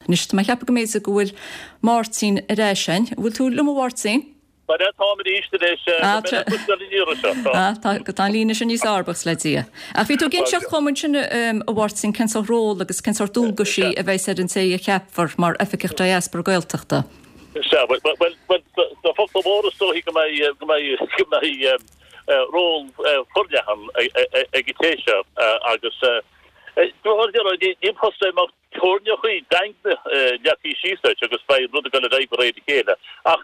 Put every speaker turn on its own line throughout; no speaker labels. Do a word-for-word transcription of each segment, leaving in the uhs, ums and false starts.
Anois tá mé ag ceapadh go mb'fhéidir go bhfuil Máirtín ar ais againn. An bhfuil tú liom a Mháirtín?
Bhuel táim arís anois
Ah, tá tá an líne sin níos fearr buíochas le Dia. Ach bhí tú ag inseacht dhom ansin a Mháirtín cén sórt ról agus cén sórt dualgaisí a bheas ar an té a cheapfar mar Oifigeach Diaspora Gaeltachta.
Sea, bhuel sna focla móra is dóichí go mbeidh go mbeidh go mbeidh ról forleathan ag an té seo agus ní post é mar teorainneacha daingne leagtha síos leis agus beidh rud ag dul ar aghaidh de réir a chéile. Ach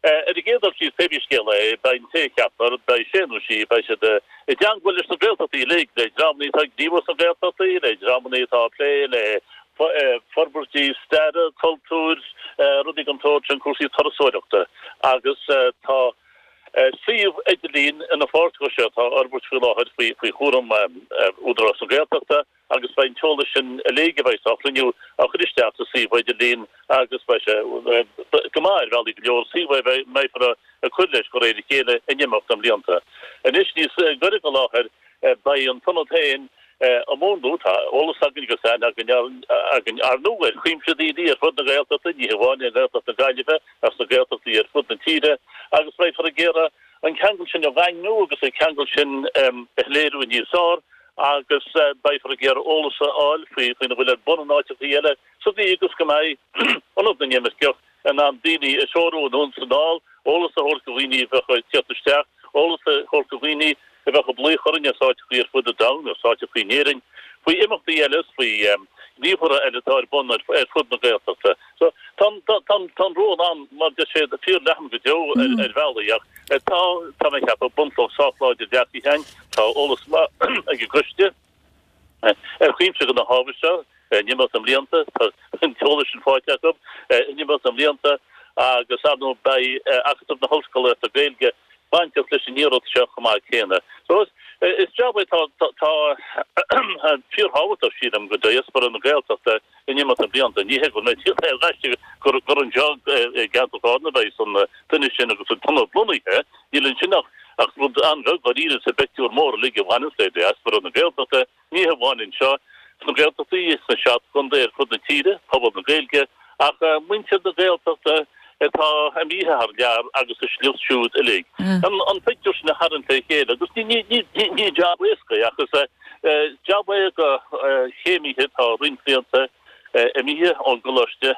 ar an gcéad dul síos pé scéal é, beidh an té a cheapfar, beidh sé nó sí, beidh siad i dteangmháil leis na Gaeltachtaí uilig, le dreamanna atá ag gníomhú sna Gaeltachtaí, le dreamanna atá ag plé le forbairtí staire, cultúir, rudaí den tsórt sin, cúrsaí turasóireachta agus tá suíomh idirlín ina pháirt de seo atá á fhorbairt faoi láthair faoi chúram Údarás na Gaeltachta agus beidh an t-eolas sin uilig a bheidh á chruinniú á chur isteach sa suíomh idirlín agus beidh sé go maith ar bhealaí go leor, suíomh a mbeifear ag cur leis de réir a chéile in imeacht na mblianta. Anois níos gaire don láthair beidh an t-ionad féin á mhúnlú, tá eolas againn agus aithne againn againn ar ndóigh ar chuimse daoine ar fud na Gaeltachta, ní hamháin i nGaeltacht na Gaillimhe ach sna Gaeltachtaí ar fud na tíre, agus beifear ag iarraidh an ceangal sin a dhaingniú agus an ceangal sin a shoiléiriú níos fearr agus beifear ag iarraidh eolas a fháil faoi faoina bhfuil ar bun in áiteachaí eile sa gcaoi agus go mbeidh Ionad na nImirceach in ann daoine a threorú anonn is anall, eolas a thabhairt do dhaoine a bheadh ag tíocht isteach, eolas a thabhairt do dhaoine a bheadh ag blaoch orainn as áiteachaí ar fud an domhain, as áiteachaí in Éirinn, faoi imeachtaí eile is faoi ghníomhartha eile atá ar bun ar fud na Gaeltachta. So tá tá an ról ann, mar deir siad, fíorleathan go deo ar bhealaí ach tá, tá mé ag ceapadh, bunchloch sách láidir leagtha againn, tá eolas maith ag an gcoiste ar chuimse de na hábhair seo in imeacht na mblianta, tá an t-eolas sin faighte acu in imeacht na mblianta agus ar ndóigh beidh Acadamh na hOllscolaíochta Gaeilge bainteach leis an iarracht seo chomh maith céanna. So is is jab é tá tá fíorthábhachtach, sílim, go diaspora na Gaeltachta in imeacht na mblianta. Ní hé go mbeidh tíocht ar gaiste gur gur anseo i gceantar Chárna a bheidh an duine sin agus an t-ionad lonnaithe, níl ansin ach ach rud an-bheag dáiríre sa bpictiúr mór uilig a bhaineanns le diaspora na Gaeltachta, ní hamháin anseo sna Gaeltachtaí, sna seacht gcontae ar fud na tíre, pobal na Gaeilge, ach muintir na Gaeltachta atá imithe thar lear agus a sliocht siúd uilig. An pictiúr sin a tharraingt le chéile agus ní ní ní jab éasca é ach is jab é do chéimithe atá roinnt blianta imithe ón gcoláiste,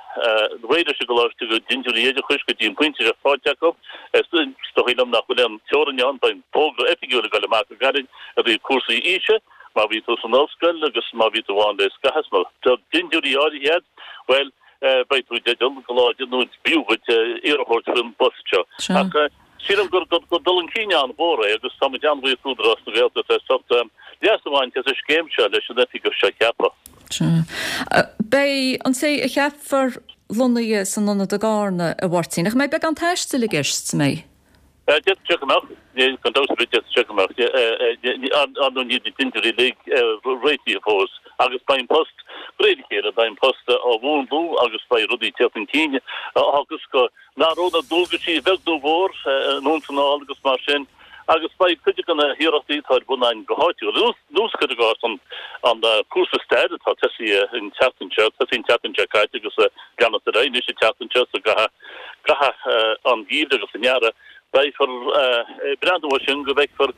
réidh leis an gcoláiste go dintiúirí oideachais go dtí an pointe seo faighte acu. Is dóigh liom nach bhfuil aon teorainn ann, beidh fógra oifigiúil ag dul amach go gairid i dtaobh cúrsaí aoise, má bhí tú san ollscoil agus má bhí tú ann le scaitheamh, má tá dintiúirí áirithe agat, bhuel, beidh tú i dteideal go láidir nó b'fhiú duit iarracht a thabhairt faoin bpost seo. Ach sílim gur dul chun cinn an-mhór é agus táimid an-bhuíoch d'Údarás na Gaeltachta as ucht leas a bhaint as an scéim seo leis an oifigeach seo a cheapadh.
Beidh an té a cheapfar lonnaithe san ionad i gCarna, a Mháirtín, ach an mbeidh beagán taistil i gceist, an mbeidh?
D'fhéadfadh sé go mbeadh. Gan dabht ar bith d'fhéadfadh sé go mbeadh. Ar ndóigh níl na dintiúirí uilig réitithe fós agus beidh an post, de réir a chéile, beidh an post á mhúnlú agus beidh rudaí ag teacht chun cinn agus go n-athróidh na dualgaisí a bheag nó a mhór anonn is anall agus mar sin agus beidh cuid de na hiarrachtaí atá ar bun againn go háitiúil, ar nós cuir i gcás an cúrsa staire atá tosaithe an tseachtain seo, tosaithe an tseachtain seo caite agus ag leanacht ar aghaidh anois an tseachtain seo so go gcaitheamh an gheimhridh agus an earraigh, beifear ag breathnú air sin go bhfeicfear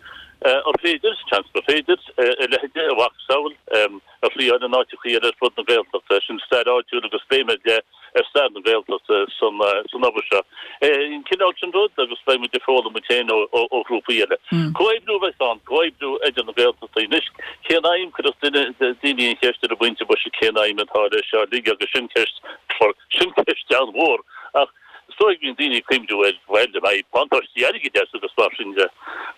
ar féidir, seans gur féidir, a leithéid, a mhacasamhail a thriáil in áiteachaí eile ar fud na Gaeltachta. Sin stair áitiúil agus béim ar leith ar stair na Gaeltachta san obair seo. An cineál sin rud agus beidh muid ag foghlaim muid féin ó ghrúpaí eile. Comhoibriú a bheas ann, comhoibriú idir na Gaeltachtaí. Anois, cén aidhm, cuirfidh duine, daoine an cheist ar an bpointe boise cén aidhm atá leis seo uilig agus sin ceist, sin ceist an-mhór ach is dóigh go mbíonn daoine ag cuimhniú ar, bhuel, an mbeidh buntáistí airgid as agus mar sin de.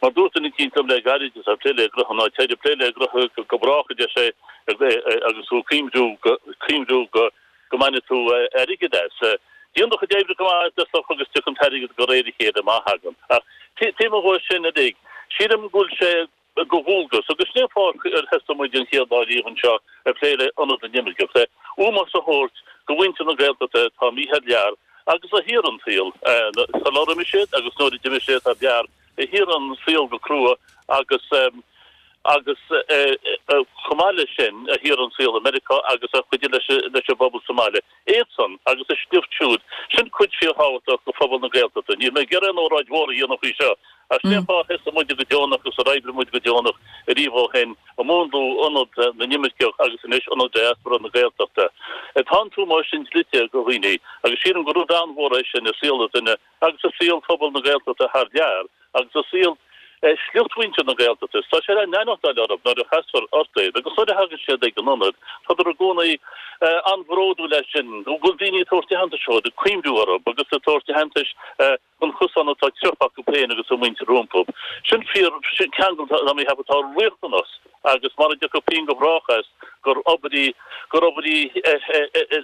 Mar dúirt duine eicínt liom le gairid, is ag plé le gnoithe ná téir ag plé le gnoithe go brách, a deir sé, agus tú ag cuimhniú go, cuimhniú go, go mbainfidh tú airgead as. Déan do chuid oibre go maith i dtosach agus tiocfaidh an t-airgead de réir a chéile má thagann. Ach taobh amuigh de sin uilig, sílim go bhfuil sé de dhualgas, agus sin é an fáth ar thosaigh muid an chéad lá riamh anseo ag plé le Ionad na nImirceach, le ómós a thabhairt do mhuintir na Gaeltachta atá imithe thar lear agus a shaothraigh an saol sular imigh siad agus nuair a d'imigh siad thar lear, a shaothraigh an saol go crua agus agus chomh maith leis sin a thiar an saol i Meiriceá agus a chuidigh leis leis an bpobal sa mbaile. Iadsan agus a sliocht siúd, sin cuid fíorthábhachtach de phobal na Gaeltachta. Níl mé ag iarraidh aon óráid mhór a dhéanamh faoi seo, ach sin é an fáth a sheasaigh muide go deonach agus ar oibrigh muid go deonach ariamh ó shin ag múnlú Ionad na nImirceach agus anois Ionad Diaspora na Gaeltachta. Tá an t-ómós sin dlite do dhaoine agus sílim gur rud an-mhór é sin i saol an duine agus i saol phobal na Gaeltachta thar lear agus i saol sliocht mhuintir na Gaeltachta. Tá sé le n-aithneachtáil orthu nuair a chasfar ort iad agus nuair a thagann siad ag an ionad, tádar i gcónaí an-bhródúil as sin, go bhfuil daoine ag tabhairt aitheantais dóibh, ag cuimhniú orthu agus ag tabhairt aitheantais don chosán atá sroichte acu féin agus a muintir rompu. Sin fíor, sin ceangal tá mé a cheapadh atá riachtanach agus mara dtiocfaidh pian go brách as gur obair í, gur obair í a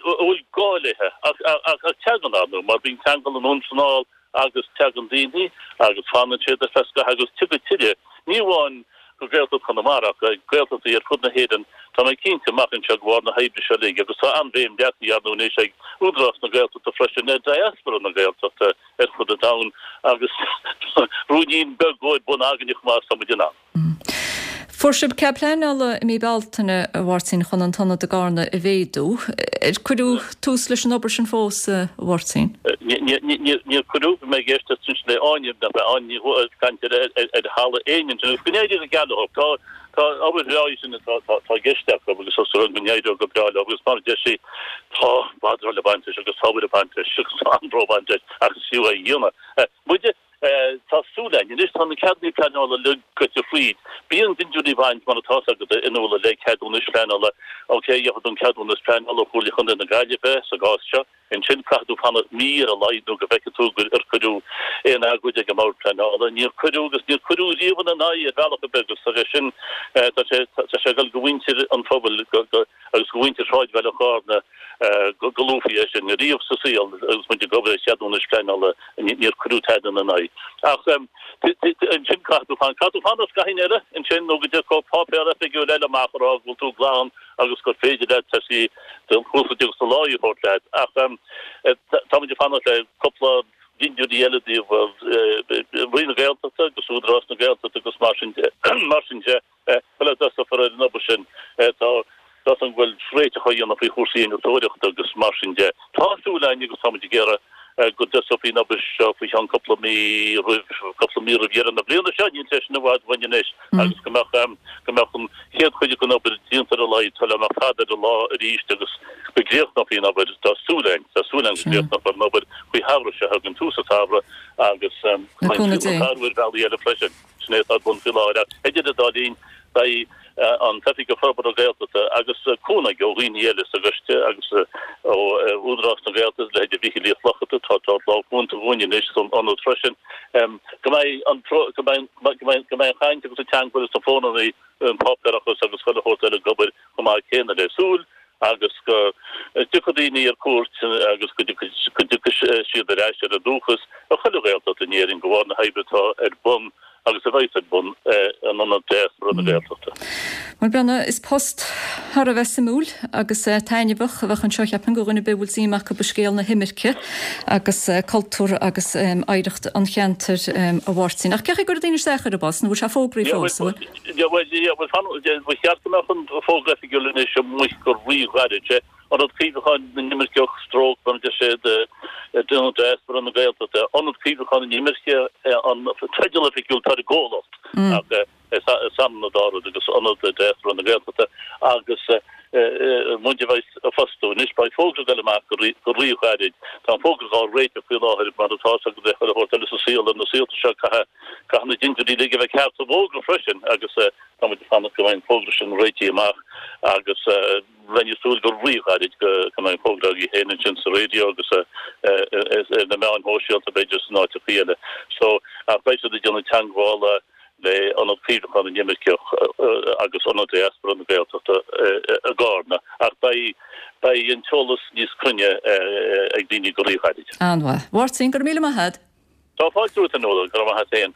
bhfuil gá léi ach ach teagann ar ndóigh mar bíonn ceangal anonn is anall agus tagann daoine agus fanann siad ar feadh scaithimh agus tiocfaidh tuilleadh, ní amháin go Gaeltacht Chonamara ach go Gaeltachtaí ar fud na hÉireann, tá mé cinnte, amach anseo de bharr na hoibre seo uilig agus tá an-bhéim leagtha ar ndóigh anois ag Údarás na Gaeltachta freisin ar diaspora na Gaeltachta ar fud an domhain agus ruainnín beag dhó ar bun againne chomh maith is tá muid in ann.
Fuair sibh cead pleanála i mí Bealtaine, a Mháirtín, chun an t-ionad i gCarna a mhéadú. Ar cuireadh tús leis an obair sin fós, a Mháirtín?
Níor cuireadh. Bhí mé ag éisteacht ansin le Áine, nach ea, Áine Ní Dhubhghaill ag caint ar Halla Éinne ansin agus go n-éirí go geal leo. Tá tá obair bhreá í sin atá tá i gceist acu agus tá súil agam go n-éireoidh go breá leo agus mar a deir sí, tá madra le baint leis agus tá obair ag baint leis agus tá anró ag baint leis ach is fiú é a dhéanamh. Muide Tá súil againn. Anois tá na ceadanna pleanála uilig gaibhte fríd. Bíonn dintiúirí ag baint, mar atá 's agat, a Fhionnuala, le ceadúnais phleanála. Ok, gheobhaidh tú an ceadúnas pleanála ó Chomhairle Chontae na Gaillimhe sa gcás seo. Ansin caithfidh tú fanacht mí ar a laghad nó go bhfeicfidh tú gur ar cuireadh aon agóid ag an mBord Pleanála. Níor cuireadh agus níor cuireadh riamh ina n-aghaidh ar bhealach ar bith agus tá sé sin, tá sé, tá sé ag dul go mhuintir an phobail go, go, agus go mhuintir shráidbhaile Chárna go, go luafaí é sin riamh sa saol agus muid ag obair ar cheadúnais phleanála. Níor cuireadh tada ina n-aghaidh. Ach ansin caithfidh tú fanacht. Caithfidh tú fanacht scaithín eile ansin nó go dtiocfaidh páipéar oifigiúil eile amach a rá go bhfuil tú glan agus gur féidir leat tosaí do chúrsa agus do láí a thabhairt leat. Ach táimid ag fanacht le cúpla dintiúirí eile i dtaobh Roinn na Gaeltachta agus Údarás na Gaeltachta agus mar sin de. Mar sin de, sula dtosófar ar an obair sin, tá Tá a fhios agam go bhfuil réiteach á dhéanamh faoi chúrsaí innealtóireachta agus mar sin de. Tá súil againn agus táimid ag iarraidh go dtosófaí an obair seo faoi cheann cúpla mí roimh, cúpla mí roimh dheireadh na bliana seo, níl sé sin i bhfad uainn anois, agus go mbeadh, go mbeadh an chéad chuid den obair déanta ar a laghad sula mbeadh fada ar an lá arís agus go gcríochnófaí an obair. Tá súil againn, tá súil againn go gcríochnófar an obair faoi shamhradh seo chugainn, tús an tsamhraidh agus go mbeidh an saol ag athrú ar bhealaí eile freisin. Sin é atá ar bun faoi láthair ach idir an dá linn beidh an tOifigeach Forbartha Gaeltachta agus cúnamh ó dhaoine eile sa gcoiste agus ó Údarás na Gaeltachta, leithéidí Mhichíl Uí Fhlatharta, atá ag tabhairt lámh chúnta dhúinn anois san ionad freisin, go mbeidh an go mbeidh go mbeidh go mbeidh an chaint agus an teagmháil agus na fónannaí, an páipéarachas agus chuile shórt eile ag obair chomh maith céanna le súil agus go dtiocfaidh daoine ar cuairt agus go dtiocfaidh siad ar ais ar a ndúchas i chuile Ghaeltacht in Éirinn de bharr na hoibre atá ar bun agus a bheas ar bun in Ionad Diaspora na Gaeltachta.
Bhuel, Breandán, is post thar a bheith suimiúil agus taitneamhach a bheadh anseo, cheapfainn, do dhuine ar bith a bhfuil suim acu i scéal na himirce agus cultúr agus oidhreacht an cheantair, a Mháirtín. Ach cén chaoi a gcuirfidh daoine isteach ar an bpost, nó bhfuil sé fógraithe fós, an bhfuil?
Yeah, bhuel, yeah, bhuel, fan, ba cheart go mbeadh an fógra oifigiúil anois amuigh go rí-ghairid. Sé Ionad Cuimhneacháin na nImirceach, stroke, mar a deir siad, Ionad Diaspora na Gaeltachta, Ionad Cuimhneacháin na nImirceach an teideal oifigiúil atá ar an gcomhlacht ach is ionann an dá rud agus Ionad Diaspora na Gaeltachta agus muid a bheas ag fostú. Anois beidh fógra ag dul amach go rí-ghairid. Tá an fógra á réiteach faoi láthair mar atá fhios agat le chuile shórt eile sa saol ar na saolta seo caithfidh caithfidh na dintiúirí uilig a bheith ceart sa bhfógra freisin agus tá muid ag fanacht go mbeidh an fógra sin réitithe amach agus bheinn ag súil go rí-ghairid go mbeidh an fógra agaibh féin ansin sa raidió agus ar na meáin shóisialta b'fhéidir is in áiteachaí eile. So, ach beidh siad ag déanamh teagmhála le Ionad Cuimhneacháin na nImirceach agus Ionad Diaspora na Gaeltachta i gCarna ach beidh beidh an t-eolas níos cruinne ag daoine go rí-ghairid.
An-mhaith. Mháirtín, go raibh míle maith agat.
Tá fáilte romhat, a Fhionnuala, go raibh maith agat féin.